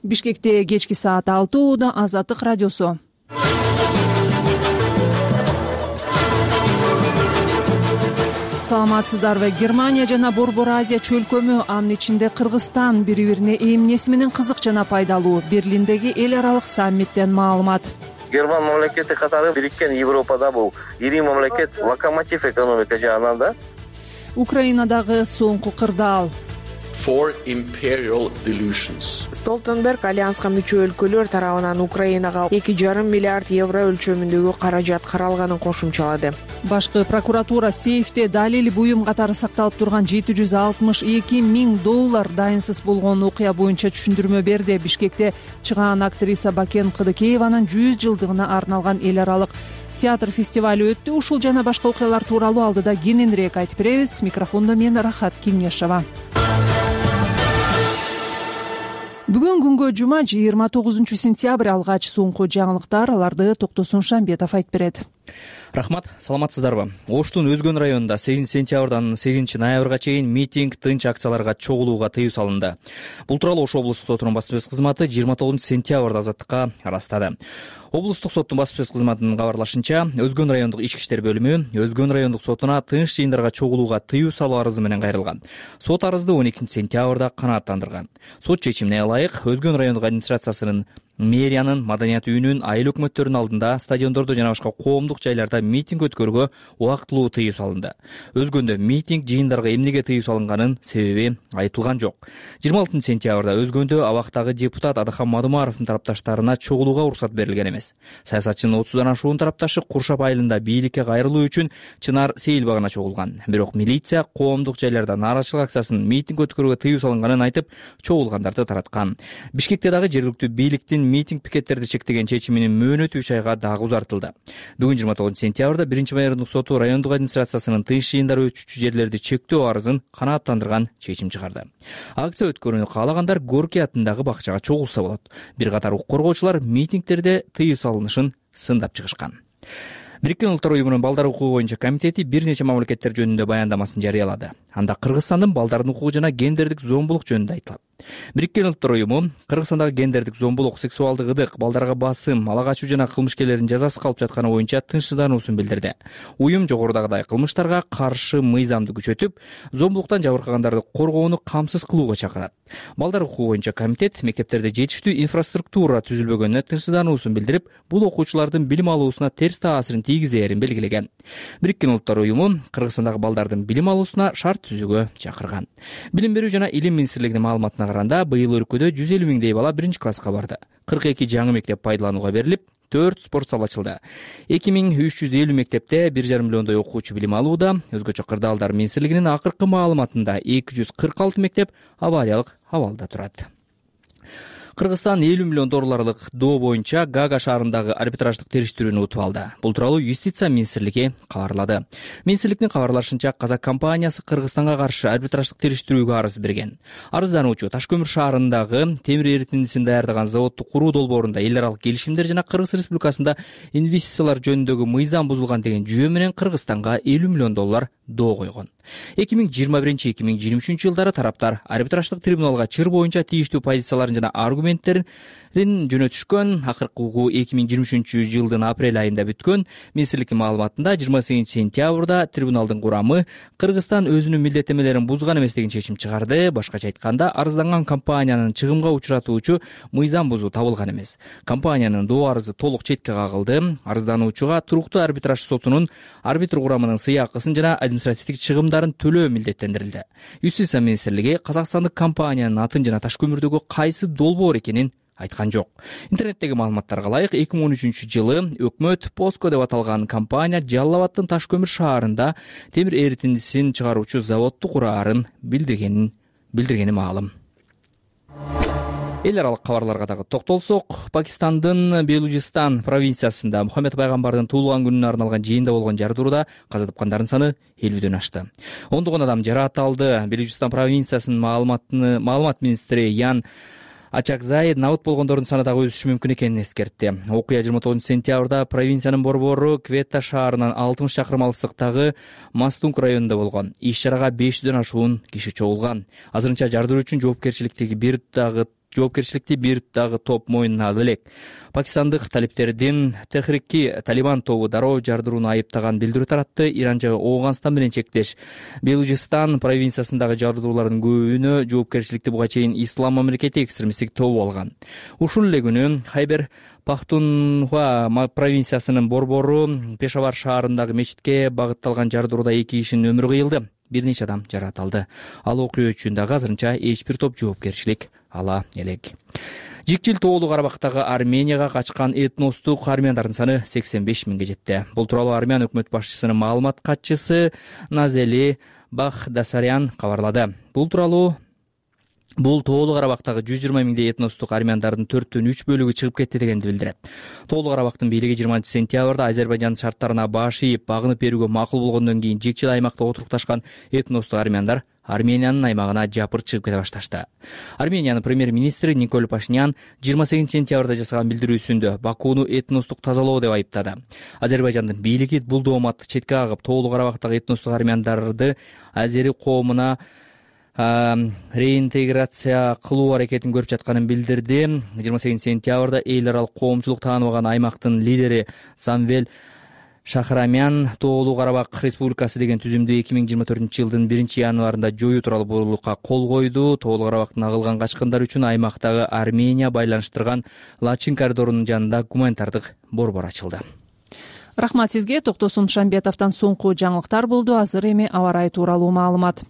Бишкекте кечки саат 6 ууда Азаттык радиосу. Саламатсыздарбы? Германия жана Борбор Азия чөлкөмү, анын ичинде Кыргызстан бири-бирине эмнеси менен кызык жана пайдалуу? Берлиндеги эл аралык саммиттен маалымат. Герман мамлекети катары бириккен Европада бул ири мамлекет, локомотив экономика жагынан да. Украинадагы соңку кырдаал. Столтенберг альянска мүчө өлкөлөр тарабынан Украинага 2,5 миллиард евро өлчөмүндөгү каражат каралганын кошумчалады. Башкы прокуратура сейфте далил буюм катары сакталып турган $762 миң дайынсыз болгон окуя боюнча түшүндүрмө берди. Бишкекте чыгаан актриса Бакен Кыдыкееванын 100 жылдыгына арналган эл аралык театр фестивалю өттү. Ушул жана башка окуялар тууралуу алдыда кененирээк айтып беребиз. Микрофондо мен Рахат Кеңешова. Бүгүн күнгө жума 29 сентябрь алгач соңку жаңылыктар, аларды Токтосун Шамбетов айтып берет. Рахмат, саламатсыздарбы? Оштун Өзгөн районунда 8 сентябрдан 8 ноябрга чейин митинг, тынч акцияларга чогулууга тыюу салынды. Бул тууралуу Ош облустук сотунун басма сөз кызматы 29 сентябрда Азаттыкка ырастады. Облустук соттун басма сөз кызматынын кабарлашынча, Өзгөн райондук ички иштер бөлүмү Өзгөн райондук сотуна тынч жыйындарга чогулууга тыюу салуу арызы менен кайрылган. Сот арызды 12 сентябрда канааттандырган. Сот чечимине ылайык Өзгөн райондук администрациясынын мэриянын, маданият үйүнүн, айыл өкмөттөрүнүн алдында, стадиондордо жана башка коомдук жайларда митинг өткөрүүгө убактылуу тыюу салынды. Өзгөндө митинг, жыйындарга эмнеге тыюу салынганын себеби айтылган жок. 26 сентябрда Өзгөндө абактагы депутат Адахан Мадумаровдун тарапташтарына чогулууга уруксат берилген эмес. Саясатчынын 30дан ашуун тарапташы Куршап айылында бийликке кайрылуу үчүн Чынар Сейил багына чогулган. Бирок милиция коомдук жайларда нааразычылык акциясын митинг өткөрүүгө тыюу салынганын айтып, чогулгандарды тараткан. Бишкекте дагы жергиликтүү бийликтин митинг пикеттерди чектеген чечиминин мөөнөтү 3 айга дагы узартылды. Бүгүн 29 сентябрда 1-майордук соту райондук администрациясынын тынч жыйындар өтүүчү жерлерди чектөө арызын канааттандырган чечим чыгарды. Акция өткөрүүнү каалагандар Горький атындагы бакчага чогулса болот. Бир катар укук коргоочулар митингтерде тыюу салынышын сындап чыгышкан. Бириккен Улуттар уюмунун балдар укугу боюнча комитети бир нече мамлекеттер жөнүндө баяндамасын жарыялады. Анда Кыргызстандын балдардын укугу жана гендердик зомбулук жөнүндө айтылат. Бириккен Улуттар уюму Кыргызстандагы гендердик зомбулук, сексуалдык ыдык, балдарга басым, ала качуу жана кылмышкерлердин жазасыз калып жатканы боюнча тынчсыздануусун билдирди. Уюм жогорудагыдай кылмыштарга каршы мыйзамды күчөтүп, зомбулуктан жабыркагандарды коргоону камсыз кылууга чакырат. Балдар укугу боюнча комитет мектептерде жетиштүү инфраструктура түзүлбөгөнүнө тынчсыздануусун билдирип, бул окуучулардын билим алуусуна терс таасирин тийгизээрин белгилеген. Бириккен Улуттар уюму Кыргызстандагы балдардын билим алуусуна шарт түзүүгө чакырган. Билим берүү жана илим министрлигинин маалыматына караганда, быйыл өлкөдө 150 миңдей бала 1-класска барды. 42 жаңы мектеп пайдаланууга берилип, 4 спорт зал ачылды. 2350 мектепте 1,5 миллиондой окуучу билим алууда. Өзгөчө кырдаалдар министрлигинин акыркы маалыматында 246 мектеп авариялык абалда турат. Кыргызстан $50 миллион доо боюнча Гага шаарындагы арбитраждык териштирүүнү утуп алды. Бул тууралуу Юстиция министрлиги кабарлады. Министрликтин кабарлашынча, Казак компаниясы Кыргызстанга каршы арбитраждык териштирүүгө арыз берген. Арыздануучу Таш-Көмүр шаарындагы темир эритиндисин даярдаган заводду куруу долбоорунда эл аралык келишимдер жана Кыргыз Республикасында инвестициялар жөнүндөгү мыйзам бузулган деген жүйө менен Кыргызстанга $50 миллион доо койгон. 2021-2023 жылдары тараптар арбитраждык трибуналга чыр боюнча тийиштүү позицияларын жана аргументтерин жөнөтүшкөн. Акыркы угуу 2023 жылдын апрель айында бүткөн. Министрликтин маалыматында 28 сентябрда трибуналдын курамы Кыргызстан өзүнүн милдеттенмелерин бузган эмес деген чечим чыгарды. Башкача айтканда, арызданган компаниянын чыгымга учуратуучу мыйзам бузуу табылган эмес. Компаниянын доо арызы толук четке кагылды. Арыздануучуга туруктуу арбитраж сотунун арбитр курамынын сыйакысын жана административдик чыгымдарын төлөө милдеттендирилди. Юстиция министрлиги казакстандык компаниянын атын жана Таш-Көмүрдөгү кайсы долбоор экенин айткан жок. Интернеттеги маалыматтарга ылайык, 2013 жылы өкмөт Поско деп аталган компания Жалал Абадтын Таш-Көмүр шаарында темир эритиндисин чыгаруучу заводду кураарын билдиргени маалым. Эл аралык кабарларга дагы токтолсок, Пакистандын Белужистан провинциясында Мухаммед пайгамбардын туулган күнүнө арналган жыйында болгон жардырууда каза тапкандардын саны 50дөн ашты. Ондогон адам жаракат алды. Белужистан провинциясынын маалымат министри Ян Ачакзай набыт болгондордун саны дагы өсүшү мүмкүн экенин эскертти. Окуя 29 сентябрда провинциянын борбору Кветта шаарынан 60 чакырым алыстыктагы Мастунг районунда болгон. Иш чарага 500дөн ашуун киши чогулган. Азырынча жардыруу үчүн жоопкерчиликтеги бир дагы жоопкерчиликти бир дагы топ мойнуна ала элек. Пакистандык талиптердин Техрики Талибан тобу дароо жардырууну айыптаган билдирүү таратты. Иран жагы Ооганстан менен чектеш. Белужистан провинциясындагы жардыруулардын көбүнө жоопкерчиликти буга чейин Ислам мамлекети экстремисттик тобу алган. Ушул эле күнү Хайбер Пахтунхва провинциясынын борбору Пешавар шаарындагы мечитке багытталган жардырууда 2 кишинин өмүрү кыйылды. Бир нече адам жаракат. Ал окуя үчүн дагы азырынча эч бир топ жоопкерчилик ала элек. Жикчил Тоолуу Карабактагы Арменияга качкан этностук армяндардын саны 85 миңге жетти. Бул тууралуу Армян өкмөт башчысынын маалымат катчысы Назели Бахдасарян кабарлады. Бул Тоолуу Карабактагы 120 миңдей этностук армяндардын 4/3 бөлүгү чыгып кетти дегенди билдирет. Тоолуу Карабактын бийлиги 20-сентябрда Азербайжан шарттарына баш ийип багынып берүүгө макул болгондон кийин жикчил аймакта отурукташкан этностук армяндар Армениянын аймагына жапыр чыгып кете башташты. Армениянын премьер-министри Николь Пашинян 28-сентябрда жасаган билдирүүсүндө Бакууну этностук тазалоо деп айыптады. Азербайжандын бийлиги бул дооматты четке кагып, Тоолуу Карабактагы этностук армяндарды азери коомуна реинтеграция кылуу аракетин көрүп жатканын билдирди. 28-сентябрда эл аралык коомчулук тааныбаган аймактын лидери Самвел Шахрамян Тоолуу Карабак Республикасы деген түзүмдү 2024-жылдын 1-январында жоюу тууралуу буйругка кол койду. Тоолуу Карабактын агылган качкындар үчүн аймактагы Армения байланыштырган Лачин коридорунун жанында гуманитардык борбор ачылды. Рахмат сизге. Токтосун Шамбетовдон соңку жаңылыктар болду. Азыр эми аба ырайы тууралуу маалымат.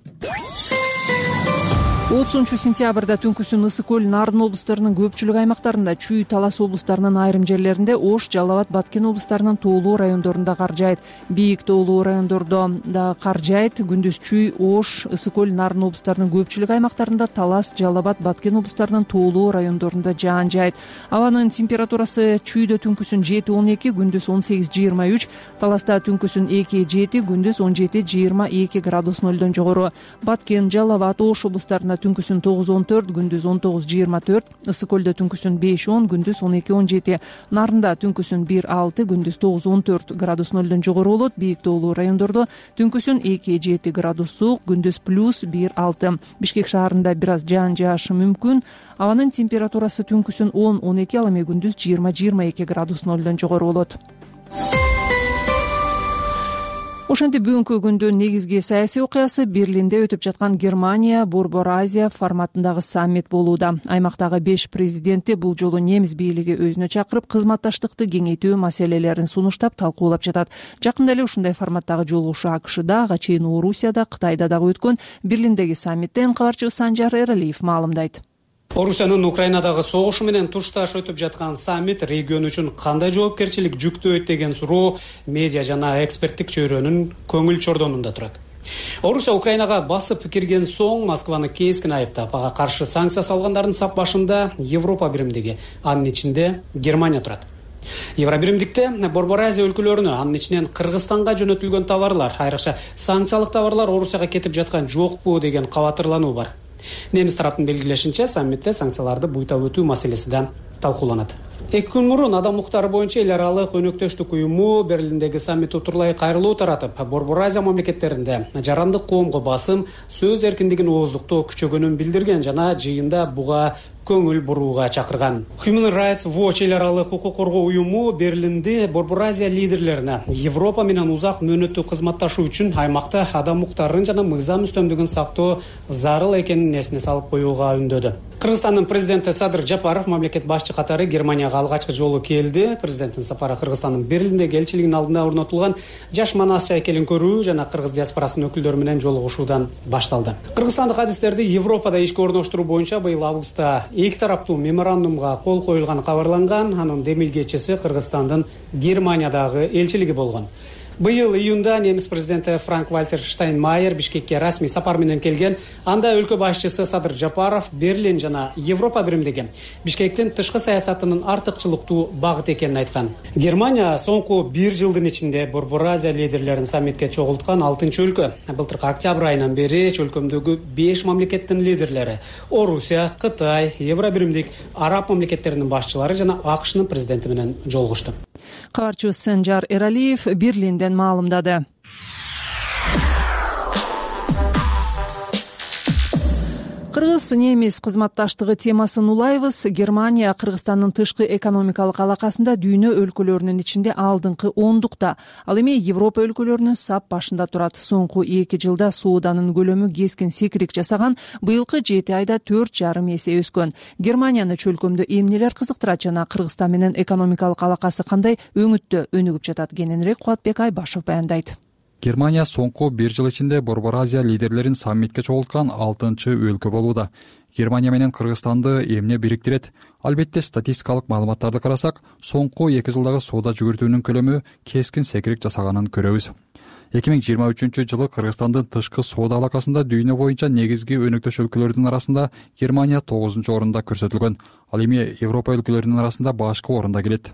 30-сентябрда түнкүсүн Ысык көл, Нарын облустарынын көпчүлүк аймактарында, Чүй, Талас облустарынын айрым жерлеринде, Ош, Жалал Абад, Баткен облустарынын тоолуу райондорунда кар жаайт. Бийик тоолуу райондордо да кар жаайт. Күндүз Чүй, Ош, Ысык көл, Нарын облустарынын көпчүлүк аймактарында, Талас, Жалал Абад, Баткен облустарынын тоолуу райондорунда жаан жаайт. Абанын температурасы Чүйдө түнкүсүн 7-12, күндүз 18-23, Таласта түнкүсүн 2-7, күндүз 17-22 градус нөлдөн жогору. Баткен, Жалал Абад, Ош облустарында түнкүсүн 9-14, күндүз 19-24, Ысык көлдө түнкүсүн 5-10, күндүз 12-17, Нарында түнкүсүн 1-6, күндүз 9-14 градус нөлдөн жогору болот. Бийик тоолуу райондордо түнкүсүн 2-7 градус суук, күндүз +1-6. Бишкек шаарында бир аз жаан жаашы мүмкүн. Абанын температурасы түнкүсүн 10-12, ал эми күндүз 20-22 градус нөлдөн жогору болот. Ошентип бүгүнкү күндүн негизги саясий окуясы Берлинде өтүп жаткан Германия Борбор Азия форматындагы саммит болууда. Аймактагы 5 президенти бул жолу немис бийлиги өзүнө чакырып, кызматташтыкты кеңейтүү маселелерин сунуштап, талкуулап жатат. Жакында эле ушундай форматтагы жолугушуу АКШда, ага чейин Орусияда, Кытайда дагы өткөн. Берлиндеги саммиттен кабарчыбыз Санжар Эралиев маалымдайт. Орусиянын Украинадагы согушу менен тушташ өтүп жаткан саммит регион үчүн кандай жоопкерчилик жүктөйт деген суроо медиа жана эксперттик чөйрөнүн көңүл чордонунда турат. Орусия Украинага басып кирген соң Москваны кескин айыптап, ага каршы санкция салгандардын сап башында Европа биримдиги, анын ичинде Германия турат. Евробиримдикте Борбор Азия өлкөлөрүнө, анын ичинен Кыргызстанга жөнөтүлгөн товарлар, айрыкча санкциялык товарлар Орусияга кетип жаткан жокпу деген кабатырлануу бар. Немис тараптын белгилешинче, саммитте санкцияларды буйтап өтүү маселеси да талкууланат. 2 күн мурун Адам укуктары боюнча эл аралык өнөктөштүк уюму Берлиндеги саммит утурлай кайрылуу таратып, Борбор Азия мамлекеттеринде жарандык коомго басым, сөз эркиндигин ооздуктоо күчөгөнүн билдирген жана жыйында буга көңүл бурууга чакырган. Human Rights Watch эл аралык укук коргоо уюму Берлинде Борбор Азия лидерлерине Европа менен узак мөөнөттүү кызматташуу үчүн аймакта адам укуктарын жана мыйзам үстөмдүгүн сактоо зарыл экенин эсине салып коюуга үндөдү. Кыргызстандын президенти Садыр Жапаров мамлекет башчы катары Германияга алгачкы жолу келди. Президенттин сапары Кыргызстандын Берлиндеги элчилигинин алдына орнотулган жаш манас чайкелин көрүү жана кыргыз диаспорасынын өкүлдөрү менен жолугушуудан башталды. Кыргызстандык адистерди Европада ишке орноштуруу боюнча быйыл августта 2 тараптуу меморандумга кол коюлганы кабарланган. Анын демилгечиси Кыргызстандын Германиядагы элчилиги болгон. Быйыл июнда немис президенти Франк-Вальтер Штайнмайер Бишкекке расмий сапар менен келген. Анда өлкө башчысы Садыр Жапаров Берлин жана Европа биримдиги Бишкектин тышкы саясатынын артыкчылыктуу багыт экенин айткан. Германия соңку 1 жылдын ичинде Борбор Азия лидерлерин саммитке чогулткан 6-өлкө. Былтыркы октябрь айынан бери өлкөмдөгү 5 мамлекеттин лидерлери Орусия, Кытай, Евробиримдик, араб мамлекеттеринин башчылары жана АКШнын президенти менен жолугушту. Кабарчыбыз Санжар Эралиев Берлинден маалымдады. Кыргыз-немис кызматташтыгы темасын улайбыз. Германия Кыргызстандын тышкы экономикалык алакасында дүйнө өлкөлөрүнүн ичинде алдыңкы 10-дукта. Ал эми Европа өлкөлөрүнүн сап башында турат. Соңку 2 жылда сооданын көлөмү кескин секирик жасаган, быйылкы 7 айда 4,5 эсе өскөн. Германияны чөлкөмдө эмнелер кызыктырат жана Кыргызстан менен экономикалык алакасы кандай өңүттө өнүгүп жатат? Кененирээк Кубатбек Айбашев баяндайт. Германия соңку 1 жыл ичинде Борбор Азия лидерлерин саммитке чогулткан 6-чы өлкө болууда. Германия менен Кыргызстанды эмне бириктирет? Албетте статистикалык маалыматтарды карасак, соңку 2 жылдагы соода жүгүртүүнүн көлөмү кескин секирик жасаганын көрөбүз. 2023-жылы Кыргызстандын тышкы соода алакасында дүйнө боюнча негизги өнөктөш өлкөлөрдүн арасында Германия 9-орунда көрсөтүлгөн. Ал эми Европа өлкөлөрүнүн арасында башкы орунда келет.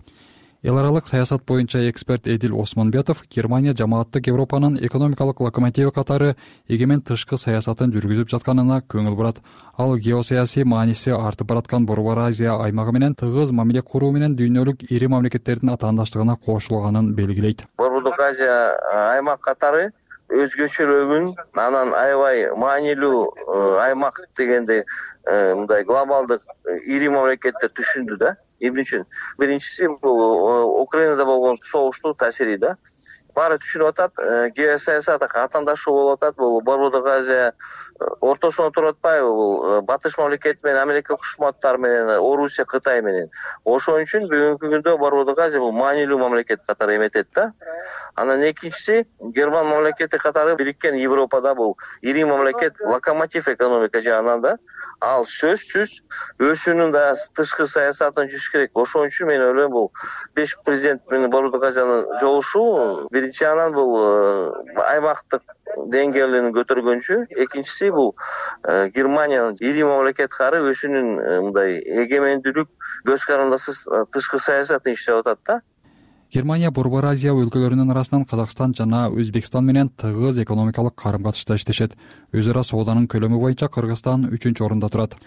Эл аралык саясат боюнча эксперт Эдил Осмонбетов Германия жамааттык Европанын экономикалык локомотиви катары эгемен тышкы саясатын жүргүзүп жатканына көңүл бурат. Ал геосаясий мааниси артып бараткан Борбор Азия аймагы менен тыгыз мамиле куруу менен дүйнөлүк ири мамлекеттердин атаандаштыгына кошулганын белгилейт. Борбордук Азия аймак катары өзгөчөлүгүн, анан аябай маанилүү аймак дегенде мындай глобалдык ири мамлекеттер түшүндү да. Эмне үчүн? Биринчиси бул Украинада болгон согуштун таасири да. Баары түшүнүп атат, геосаясат катаандашуу болуп атат. Бул Борбордук Азия ортосуна туруп атпайбы? Бул батыш мамлекет менен Америка Коңшу Штаттары менен, Орусия, Кытай менен. Ошон үчүн бүгүнкү күндө Борбордук Азия бул маанилүү мамлекет катары эметет да. Анан экинчиси Герман мамлекети катары бириккен Европада бул ири мамлекет, локомотив экономика жагынан да. Ал сөзсүз өзүнүн да тышкы саясатын жүргүзүш керек. Ошон үчүн мен ойлойм бул 5 президент менен Борбордук Азиянын жолугушуу биринчи анан бул аймактык деңгээлин көтөргөнчү, экинчиси бул Германиянын ири мамлекет катары өзүнүн мындай эгемендүүлүк көз карандысыз тышкы саясатын иштеп атат да. Германия Борбор Азия өлкөлөрүнүн арасынан Казакстан жана Өзбекстан менен тыгыз экономикалык карым-катышта иштешет. Өз ара сооданын көлөмү боюнча Кыргызстан 3-орунда турат.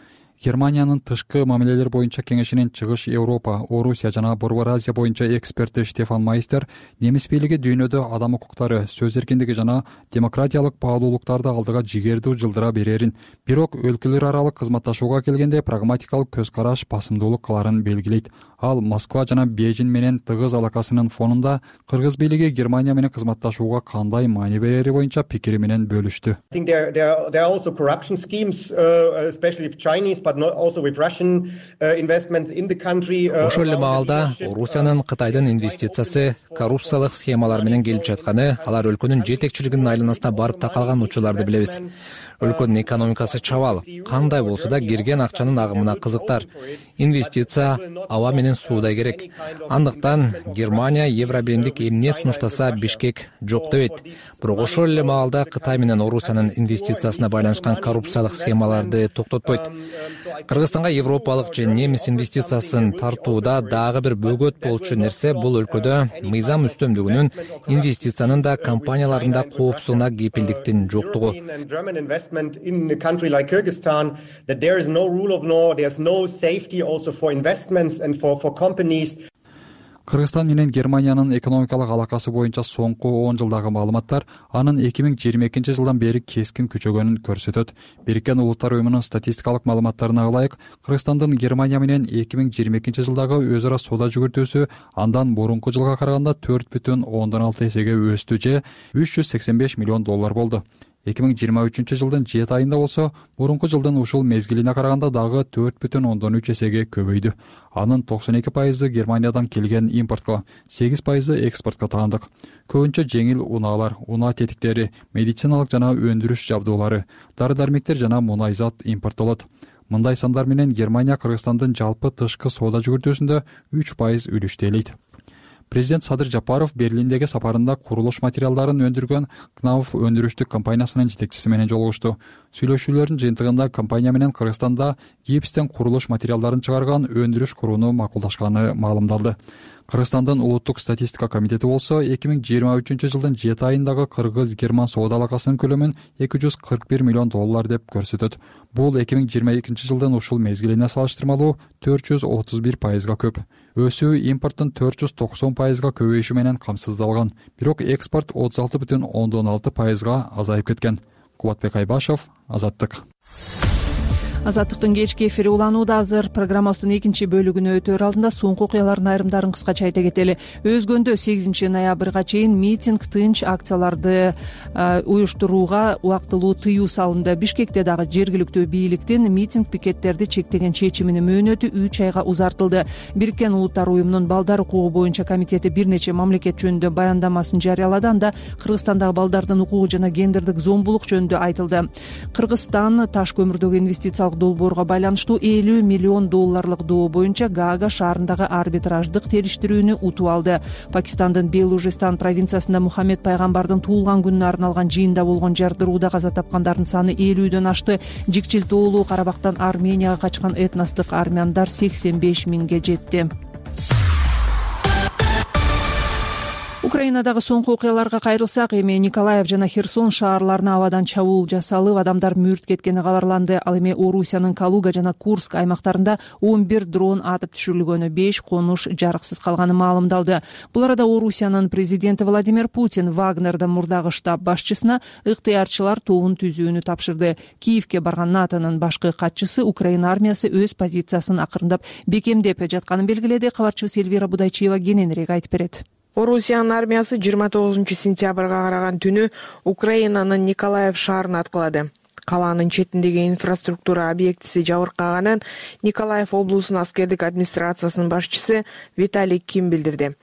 Германиянын тышкы мамилелер боюнча кеңешинин Чыгыш Европа, Орусия жана Борбор Азия боюнча эксперти Штефан Майстер немис бийлиги дүйнөдө адам укуктары, сөз эркиндиги жана демократиялык баалуулуктарды алдыга жигердүү жылдыра берерин, бирок өлкөлөр аралык кызматташууга келгенде прагматикалык көз караш басымдуулук кыларын белгилейт. Ал Москва жана Бейжин менен тыгыз алакасынын фонунда Кыргыз бийлиги Германия менен кызматташууга кандай маани берери боюнча пикири менен бөлүштү. Ошол эле маалда Орусиянын Кытайдын инвестициясы коррупциялык схемалар менен келип жатканы, алар өлкөнүн жетекчилигинин айланасына барып такалган учурларды билебиз. Өлкөнүн экономикасы чабал, кандай болсо да кирген акчанын агымына кызыктар. Инвестиция аба менен суудай керек. Андыктан Германия Евробиримдик эмне сунуштаса Бишкек жок дебейт. Бирок ошол эле маалда Кытай менен Орусиянын инвестициясына байланышкан коррупциялык схемаларды токтотпойт. Кыргызстанга европалык же немис инвестициясын тартууда дагы бир бөгөт болчу нерсе бул өлкөдө мыйзам үстөмдүгүнүн, инвестициянын да компаниялардын да коопсуздугуна кепилдиктин жоктугу. In a country like Kyrgyzstan, that there is no rule of law, there's no safety also for investments and for companies. Кыргызстан менен Германиянын экономикалык алакасы боюнча соңку 10 жылдагы маалыматтар анын 2022-жылдан бери кескин күчөгөнүн көрсөтөт. Бириккен Улуттар уюмунун статистикалык маалыматтарына ылайык, Кыргызстандын Германия менен 2022-жылдагы өз ара соода жүгүртүүсү андан мурунку жылга караганда 4,6 эсеге өстү же $385 миллион болду. 2023-жылдын 7 айында болсо, мурунку жылдын ушул мезгилине караганда дагы 4,3 эсеге көбөйдү. Анын 92% Германиядан келген импортко, 8% экспортко таандык. Көбүнчө жеңил унаалар, унаа тетиктери, медициналык жана өндүрүш жабдуулары, дары-дармектер жана мунайзат импорттолот. Мындай сандар менен Германия Кыргызстандын жалпы тышкы соода жүгүртүүсүндө 3% үлүштү ээлейт. Президент Садыр Жапаров Берлиндеги сапарында курулуш материалдарын өндүргөн Knauf өндүрүштүк компаниясынын жетекчиси менен жолугушту. Сүйлөшүүлөрдүн жыйынтыгында компания менен Кыргызстанда гипстен курулуш материалдарын чыгарган өндүрүш курууну макулдашканы маалымдалды. Кыргызстандын улуттук статистика комитети болсо 2023-жылдын 7 айындагы кыргыз-герман соода алакасынын көлөмүн $241 миллион деп көрсөтөт. Бул 2022-жылдын ушул мезгилине салыштырмалуу 431%га көп. Өсүү импорттун 490%га көбөйүшү менен камсыздалган, бирок экспорт 36,6%га азайып кеткен. Кубатбек Айбашев, Азаттык. Азаттыктын кечки эфири уланууда азыр. Программабыздын экинчи бөлүгүнө өтөр алдында соңку окуялардын айрымдарын кыскача айта кетели. Өзгөндө 8 ноябрга чейин митинг, тынч акцияларды уюштурууга убактылуу тыюу салынды. Бишкекте дагы жергиликтүү бийликтин митинг пикеттерди чектеген чечиминин мөөнөтү 3 айга узартылды. Бириккен Улуттар уюмунун балдар укугу боюнча комитети бир нече мамлекет жөнүндө баяндамасын жарыялады. Анда Кыргызстандагы балдардын укугу жана гендердик зомбулук жөнүндө айтылды. Кыргызстан таш көмүрдөгү инвестициялык долбоорго байланыштуу $50 миллион доо боюнча Гаага шаарындагы арбитраждык териштирүүнү утуп алды. Пакистандын Белужистан провинциясында Мухаммед пайгамбардын туулган күнүнө арналган жыйында болгон жардырууда каза тапкандардын саны 50дөн ашты. Жикчил-тоолуу Карабактан Арменияга качкан этностук армяндар 85 миңге жетти. Украинадагы соңку окуяларга кайрылсак, эми Николаев жана Херсон шаарларына абадан чабуул жасалып, адамдар мүрт кеткени кабарланды. Ал эми Орусиянын Калуга жана Курск аймактарында 11 дрон атып түшүрүлгөнү, 5 конуш жарыксыз калганы маалымдалды. Бул арада Орусиянын президенти Владимир Путин Вагнердин мурдагы штаб башчысына ыктыярчылар тобун түзүүнү тапшырды. Киевке барган НАТОнун башкы катчысы Украина армиясы өз позициясын акырындап бекемдеп жатканын белгиледи. Кабарчыбыз Эльвира Будайчиева кененирээк айтып берет. Орусиянын армиясы 29 сентябрга караган түнү Украинанын Николаев шаарын аткылады. Калаанын четиндеги инфраструктура объектиси жабыркаганын Николаев облусунун аскердик администрациясынын башчысы Виталий Ким билдирди.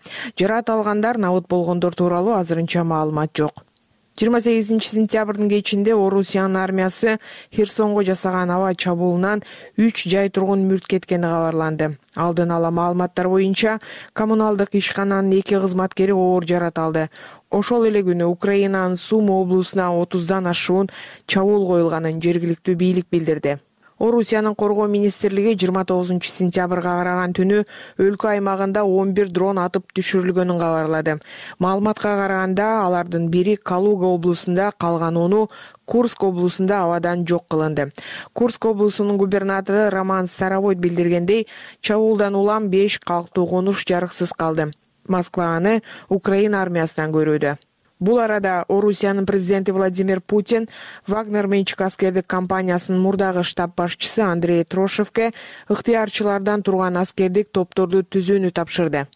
Жараат алгандар, набыт болгондор тууралуу азырынча маалымат жок. 28 сентябрдын кечинде Орусиянын армиясы Херсонго жасаган аба чабуулунан 3 жай тургун мүрт кеткени кабарланды. Алдын ала маалыматтар боюнча коммуналдык ишкананын 2 кызматкери оор жарат алды. Ошол эле күнү Украинанын Сума облусуна 30дан ашуун чабуул коюлганын жергиликтүү бийлик билдирди. Орусиянын коргоо министрлиги 29 сентябрга караган түнү өлкө аймагында 11 дрон атып түшүрүлгөнүн кабарлады. Маалыматка караганда алардын бири Калуга облусунда, калган 10 Курск облусунда абадан жок кылынды. Курск облусунун губернатору Роман Старовойт билдиргендей, чабуулдан улам 5 калктуу конуш жарыксыз калды. Москва аны Украина армиясынан көрүүдө. Бул арада Орусиянын президенти Владимир Путин Вагнер менчик аскердик компаниясынын мурдагы штаб башчысы Андрей Трошевке ыктыярчылардан турган аскердик топторду түзүүнү тапшырды.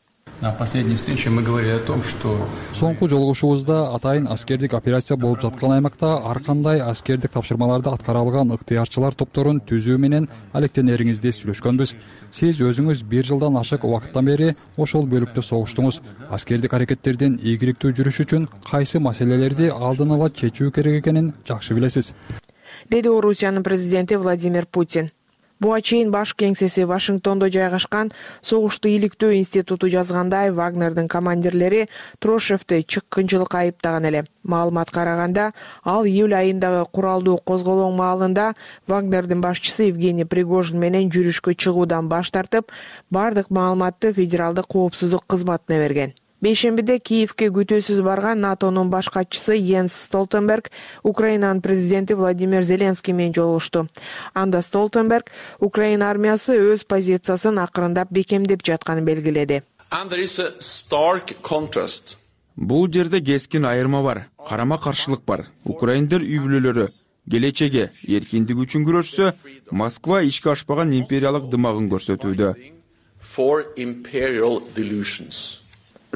На последней встрече мы говорили о том, что Соңку жолугушуубузда атайын аскердик операция болуп жаткан аймакта ар кандай аскердик тапшырмаларды аткара алган ыктыярчылар топторун түзүү менен алектенериңизди сүйлөшкөнбүз. Сиз өзүңүз 1 жылдан ашык убакыттан бери ошол бөлүктө согуштуңуз. Аскердик аракеттердин ийгиликтүү жүрүшү үчүн кайсы маселелерди алдын ала чечүү керек экенин жакшы билесиз, деди Орусиянын президенти Владимир Путин. Буга чейин баш кеңсеси Вашингтондо жайгашкан Согушту иликтөө институту жазгандай, Вагнердин командирлери Трошевди чыккынчылыкка айыптаган эле. Маалыматка караганда, ал июль айындагы куралдуу козголоң маалында Вагнердин башчысы Евгений Пригожин менен жүрүшкө чыгуудан баш тартып, бардык маалыматты федералдык коопсуздук кызматына берген. Бейшембиде Киевке күтүүсүз барган НАТОнун баш катчысы Йенс Столтенберг Украинанын президенти Владимир Зеленский менен жолугушту. Анда Столтенберг Украина армиясы өз позициясын акырындап бекемдеп жатканын белгиледи. Бул жерде кескин айырма бар, карама каршылык бар. Украиндер үй бүлөлөрү келечеге эркиндик үчүн күрөшсө, Москва ишке ашпаган империялык дымагын көрсөтүүдө.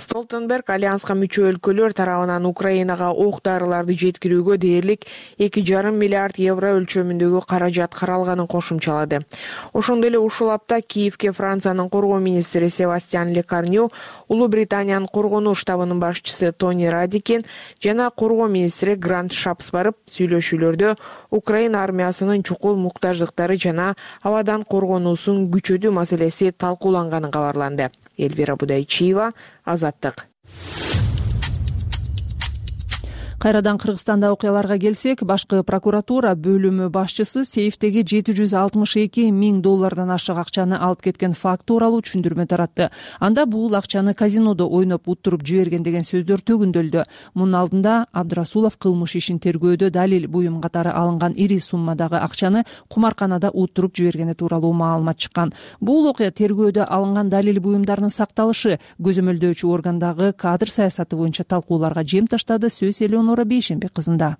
Столтенберг альянска мүчө өлкөлөр тарабынан Украинага ок-дарыларды жеткирүүгө дээрлик 2,5 миллиард евро өлчөмүндөгү каражат каралганын кошумчалады. Ошондой эле ушул апта Киевке Франциянын коргоо министри Себастьян Лекарню, Улуу Британиянын коргонуу штабынын башчысы Тони Радикин жана коргоо министри Грант Шапс барып, сүйлөшүүлөрдө Украина армиясынын чукул муктаждыктары жана абадан коргонуусун күчөтүү маселеси талкууланганын кабарланды. Эльвира Будайчиева, Азаттык. Кайрадан Кыргызстанда окуяларга келсек, башкы прокуратура бөлүмү башчысы сейфтеги $762 миң ашык акчаны алып кеткен факт тууралуу түшүндүрмө таратты. Анда бул акчаны казинодо ойноп уттуруп жиберген деген сөздөр төгүндөлдү. Мунун алдында Абдрасулов кылмыш ишин тергөөдө далил буюм катары алынган ири суммадагы акчаны кумарканада уттуруп жибергени тууралуу маалымат чыккан. Бул окуя тергөөдө алынган далил буюмдарынын сакталышы көзөмөлдөөчү органдагы кадр саясаты боюнча талкууларга жем таштады. Сөз Элеонора Бейшембек кызында.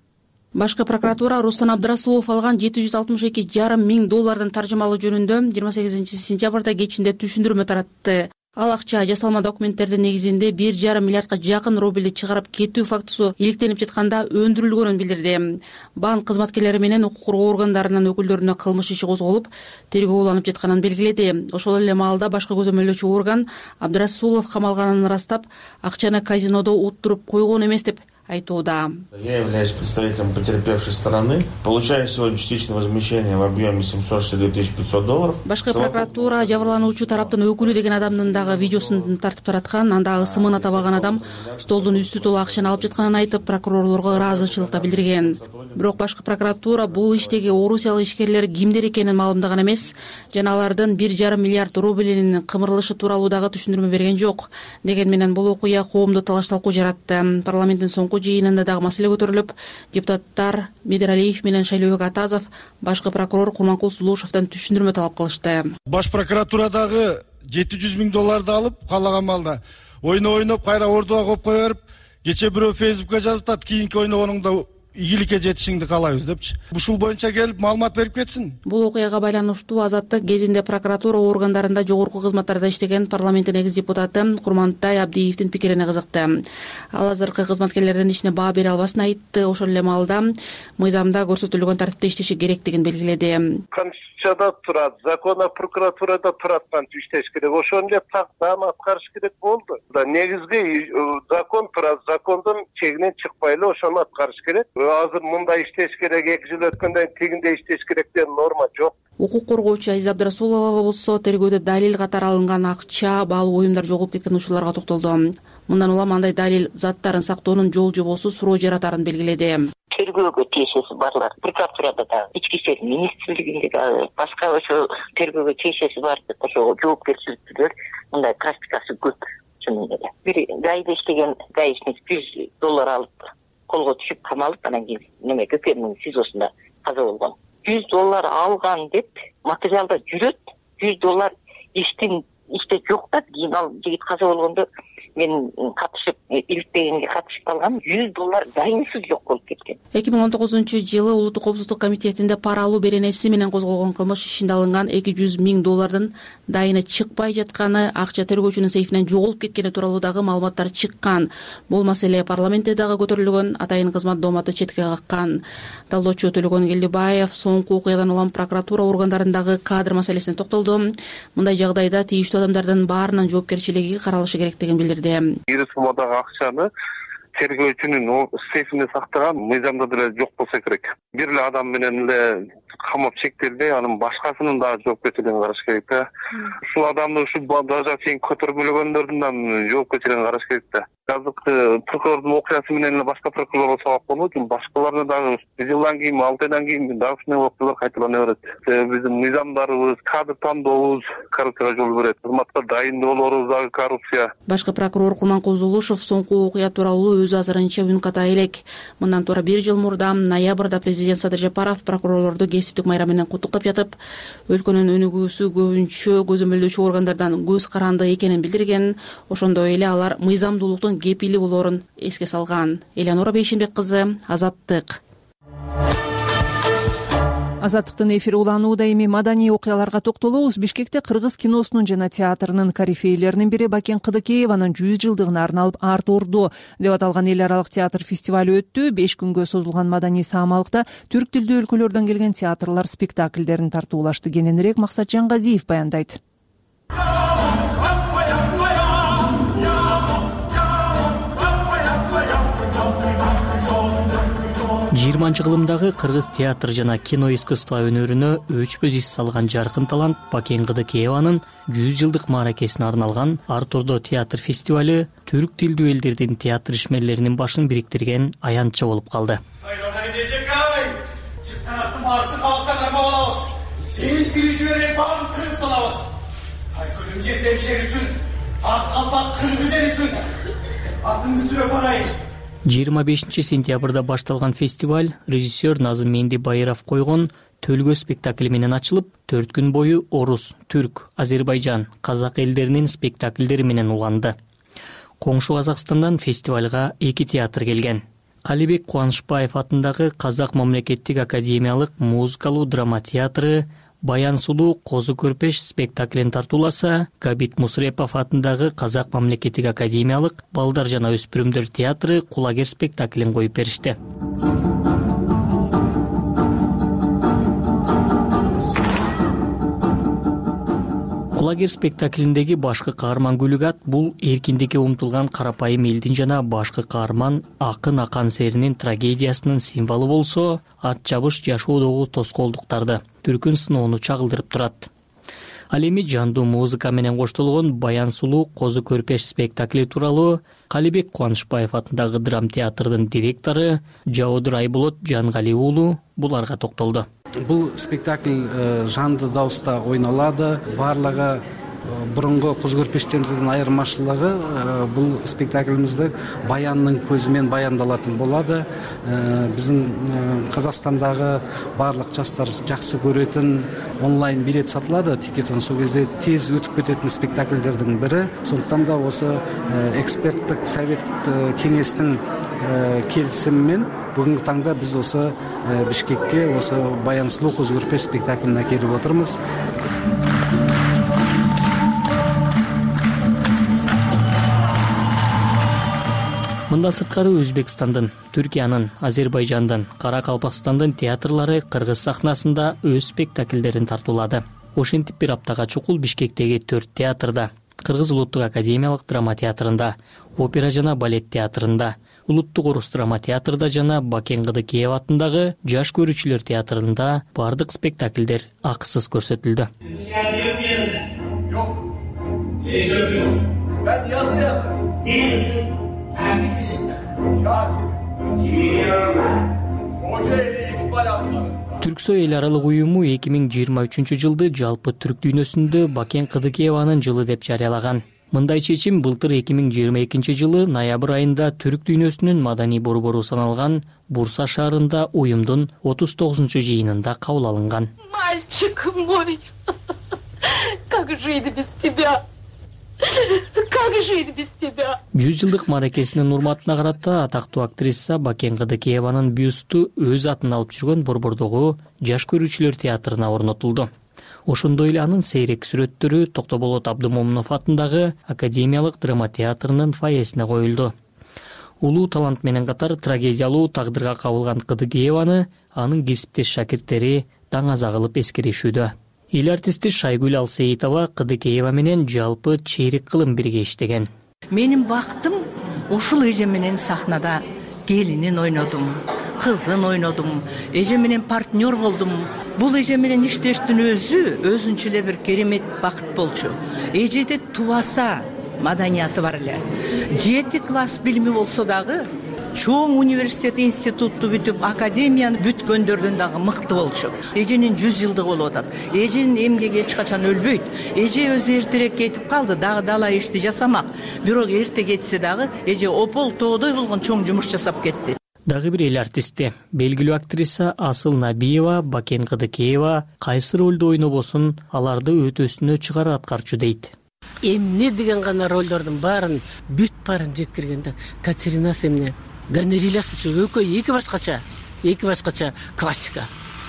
Башкы прокуратура Рустам Абдрасулов алган $762,5 таржымалоо жөнүндө 28 сентябрда кечинде түшүндүрмө таратты. Ал акча жасалма документтердин негизинде 1,5 миллиардга жакын рубльди чыгарып кетүү фактысы иликтенип жатканда өндүрүлгөнүн билдирди. Банк кызматкерлери менен укук коргоо органдарынын өкүлдөрүнө кылмыш иши козголуп, тергөө уланып жатканын белгиледи. Ошол эле маалда башкы көзөмөлдөөчү орган Абдрасулов камалганын ырастап, акчаны казинодо уттуруп койгон эмес деп айтууда. Я являюсь представителем потерпевшей стороны. Получаю сегодня частичное возмещение в объеме $762,500. Башкы прокуратура жабырлануучу тараптын өкүлү деген адамдын дагы видеосун тартып тараткан. Анда ысымына табаган адам столдун үстү толуу акчаны алып жатканын айтып, прокурорлорго ыраазычылык да билдирген. Бирок башкы прокуратура бул иштеги орусиялык ишкерлер кимдер экенин маалымдаган эмес жана алардын 1,5 миллиард рубльнин кымырылышы тууралуу дагы түшүндүрмө берген жок. Деген менен бул окуя коомдо талаш-талкуу жаратты. Парламенттин соңку жыйынында дагы маселе көтөрүлүп, депутаттар Медералиев менен Шайлообек Атазов башкы прокурор Курманкул Сулушевден түшүндүрмө талап кылышты. Баш прокуратурадагы $700,000 алып, каалаган маалда ойноп кайра ордуга коюп кое берип, кече бирөө Фейсбукка жазып, кийинки ойногонуңда ийгиликке жетишиңди каалайбыз депчи. Ушул боюнча келип маалымат берип кетсин. Бул окуяга байланыштуу Азаттык кезинде прокуратура органдарында жогорку кызматтарда иштеген парламенттин экс депутаты Курмантай Абдиевдин пикирине кызыкты. Ал азыркы кызматкерлердин ишине баа бере албасын айтты. Ошол эле маалда мыйзамда көрсөтүлгөн тартипте иштеши керектигин белгиледи. Конституцияда турат, закон прокуратурада турат кантип иштеш керек. Ошону эле тактан аткарыш керек болду. Негизги закон турат, закондун чегинен чыкпай эле ошону аткарыш керек. Азыр мындай иштеш керек, 2 жыл өткөндөн тигинде иштеш керек деген норма жок. Укук коргоочу Азиз Абдрасулова болсо тергөөдө далил катары алынган акча, баалуу уюмдар жоголуп кеткен учурларга токтолду. Мындан улам андай далил заттарын сактоонун жол жобосу суроо жаратарын белгиледи. Тергөөгө тиешеси барлар прокуратурада да, ички иштер министрлигинде да, башка ошо тергөөгө тиешеси бар деп ошо жоопкерчиликтүүлөр мындай практикасы көп чынында эле. Бир гайда иштеген гаишник $100 алып колго түшүп камалып, анан кийин неме Көкөрмүн СИЗОсунда каза болгон. $100 алган деп материалда жүрөт. $100 иште жок да, кийин ал жигит каза болгондо мен катышып, иликтегенге катышып калган $100 дайынсыз жок болуп кеткен. 2019-жылы Улуттук коопсуздук комитетинде пара алуу беренеси менен козголгон кылмыш ишинде алынган $200,000 дайыны чыкпай жатканы, акча тергөөчүнүн сейфинен жоголуп кеткени тууралуу дагы маалыматтар чыккан. Бул маселе парламентте дагы көтөрүлгөн, атайын кызмат дооматы четке каккан. Талдоочу Төлөгөн Келдибаев соңку окуядан улам прокуратура органдарындагы кадр маселесине токтолду. Мындай жагдайда тийиштүү адамдардын баарынын жоопкерчилиги каралышы керектигин билдирди. Ири суммадагы акчаны тергөөчүнүн сейфинде сактаган мыйзамда деле жок болсо керек. Бир эле адам менен эле камап чектелбей, анын башкасынын дагы жоопкерчилигин караш керек да. Ушул адамды ушул даже чейин көтөрмөлөгөндөрдүн да жоопкерчилигин караш керек да. Азыркы прокурордун окуясы менен эле башка прокурорлор сабак болуу үчүн башкаларына дагы 1 жылдан кийин, 6 айдан кийин дагы ушундай окуялар кайталана берет. Биздин мыйзамдарыбыз, кадр тандообуз коррупцияга жол берет. Кызматка дайындоолорубуз дагы коррупция. Башкы прокурор Курманкул Сулушев соңку окуя тууралуу өз азырынча үн ката элек. Мындан туура 1 жыл мурда ноябрда президент Садыр Жапаров прокурорлорду кесиптик майра менен куттуктап жатып, өлкөнүн өнүгүүсү көбүнчө көзөмөлдөөчү органдардан көз каранды экенин билдирген. Ошондой эле алар мыйзамдуулуктун кепили болоорун эске салган. Элеонора Бейшенбек кызы, Азаттык. Азаттыктын эфири уланууда. Эми маданий окуяларга токтолобуз. Бишкекте кыргыз киносунун жана театрынын корифейлеринин бири Бакен Кыдыкееванын 100 жылдыгына арналып Арт Ордо деп аталган эл аралык театр фестивалю өттү. 5 күнгө созулган маданий саамалыкта түрк тилдүү өлкөлөрдөн келген театрлар спектакльдерин тартуулашты. Кененирээк Максатжан Газиев баяндайт. 20-кылымдагы кыргыз театр жана кино искусство өнөрүнө өчпөз ис салган жаркын талант Бакен Кыдыкееванын 100 жылдык мааракесине арналган Арт Ордо театр фестивалю түрк тилдүү элдердин театр ишмерлеринин башын бириктирген аянтча болуп калды. Жыйырма 5 сентябрда башталган фестиваль режиссер Назым Менди Байыров койгон Төлгө спектакли менен ачылып, 4 күн бою орус, түрк, Азербайжан, казак элдеринин спектакльдери менен уланды. Коңшу Казакстандан фестивалга 2 театр келген. Калибек Кубанычбаев атындагы Казак мамлекеттик академиялык музыкалуу драма театры Баян сулуу козу көрпеш спектаклин тартууласа, Габит Мусрепов атындагы Казак мамлекеттик академиялык балдар жана өспүрүмдөр театры Кулагер спектаклин коюп беришти. Кулагер спектаклиндеги башкы каарман Гүлүгат бул эркиндикке умтулган карапайым элдин жана башкы каарман акын Акан Серинин трагедиясынын символу болсо, ат жабыш жашоодогу тоскоолдуктарды, түркүн сыноону чагылдырып турат. Ал эми жандуу музыка менен коштолгон Баян сулуу козу көрпеш спектакли тууралуу Калибек Кубанычбаев атындагы драм театрдын директору Жаодур Айболот Жангали уулу буларга токтолду. Бул спектакль жанды дауыста ойнолду. Барлыгы бурунку козу көрпештердин айырмачылыгы бул спектаклимизде баяндын көзүмен баяндалатын болду. Биздин Казакстандагы барлык жаштар жакшы көрөтүн онлайн билет сатылады, тикетон сол кезде тез өтүп кететін спектакльдердин бири. Сондуктан да осы эксперттик совет кеңестин келисими менен бүгүнкү таңда биз осы Бишкекке осы Баян сулуу козу көрпеш спектаклин келип отурмуз. Мында сырткары Өзбекстандын, Түркиянын, Азербайжандын, Каракалпакстандын театрлары кыргыз сахнасында өз спектакльдерин тартуулады. Ошентип бир аптага чукул Бишкектеги 4 театрда, Кыргыз улуттук академиялык драма театрында, опера жана балет театрында, Улуттук орус драма театрда жана Бакен Кыдыкеев атындагы жаш көрүүчүлөр театрында бардык спектакльдер акысыз көрсөтүлдү. Түрксой эл аралык уюму 2023 жылды жалпы түрк дүйнөсүндө Бакен Кыдыкееванын жылы деп жарыялаган. Мындай чечим былтыр 2022 жылы ноябрь айында түрк дүйнөсүнүн маданий борбору саналган Бурса шаарында уюмдун 39-чу жыйынында кабыл алынган. Мальчик мой, как жить без тебя? Как жить без тебя? 100 жылдык мааракесинин урматына карата атактуу актриса Бакен Кыдыкееванын бюсту өз атын алып жүргөн борбордогу жаш көрүүчүлөр театрына орнотулду. Ошондой эле анын сейрек сүрөттөрү Токтоболот Абдымомунов атындагы академиялык драма театрынын фойесине коюлду. Улуу талант менен катар трагедиялуу тагдырга кабылган Кыдыкееваны анын кесиптеш шакирттери таңаза кылып эскеришүүдө. Эл артисти Шайгүл Алсейитова Кыдыкеева менен жалпы чейрек кылым бирге иштеген. Менин бактым ушул эже менен сахнада келинин ойнодум, кызын ойнодум, эже менен партнер болдум. Бул эже менен иштештин өзүнчө эле бир керемет бакыт болчу. Эжеде тубаса маданияты бар эле. 7 класс билими болсо дагы чоң университет институтту бүтүп академияны бүткөндөрдөн дагы мыкты болчу. Эженин 100 жылдыгы болуп атат. Эженин эмгеги эч качан өлбөйт. Эже өзү эртерээк кетип калды, дагы дала ишти жасамак. Бирок эрте кетсе дагы эже опол тоодой болгон чоң жумуш жасап кетти. Дагы бир эл артисти, белгилүү актриса Асыл Набиева Бакен Кыдыкеева кайсы ролду ойнобосун аларды өтөсүнө чыгара аткарчу дейт. Эмне деген гана ролдордун баарын бүт баарын жеткиргенде Катеринасы эмне Ганерилясы эки башкача классика.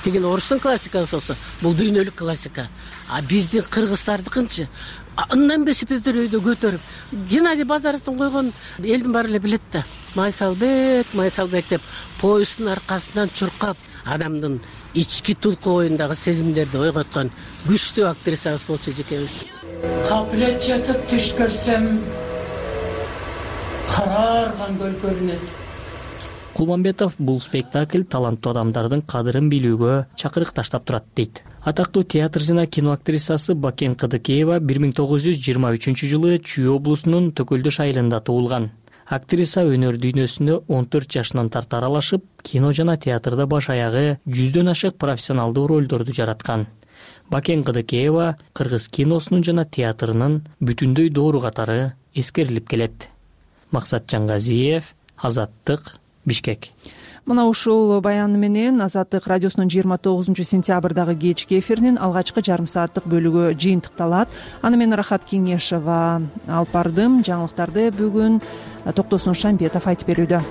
Деген орустун классикасы болсо, бул дүйнөлүк классика. А биздин кыргыздардыкынчы андан бешипетерөйдө көтөрүп, Геннадий Базаровдун койгон элдин баары эле билет да. Майсалбек деп поезддун аркасынан чуркап, адамдын ички тулку оюндагы сезимдерди ойготкон күчтүү актрисабыз болчу экенбиз. Кабилет жатып түш көрсөм, караарган көл көрүнөт. Кулманбетов бул спектакль таланттуу адамдардын кадырын билүүгө чакырык таштап турат дейт. Атактуу театр жана кино актрисасы Бакен Кыдыкеева 1923 жылы Чүй облусунун Төкөлдөш айылында туулган. Актриса өнөр дүйнөсүнө 14 жашынан тарта аралашып, кино жана театрда баш аягы 100дөн ашык профессионалдуу ролдорду жараткан. Бакен Кыдыкеева кыргыз киносунун жана театрынын бүтүндөй доору катары эскерилип келет. Максат Жангазиев, Азаттык, Бишкек. Мына ушул баян менен Азаттык радиосунун 29-сентябрдагы кечки эфиринин алгачкы жарым сааттык бөлүгү жыйынтыкталат. Аны мен Рахат Кеңешова алып бардым. Жаңылыктарды бүгүн Токтосун Шамбетов айтып берүүдө.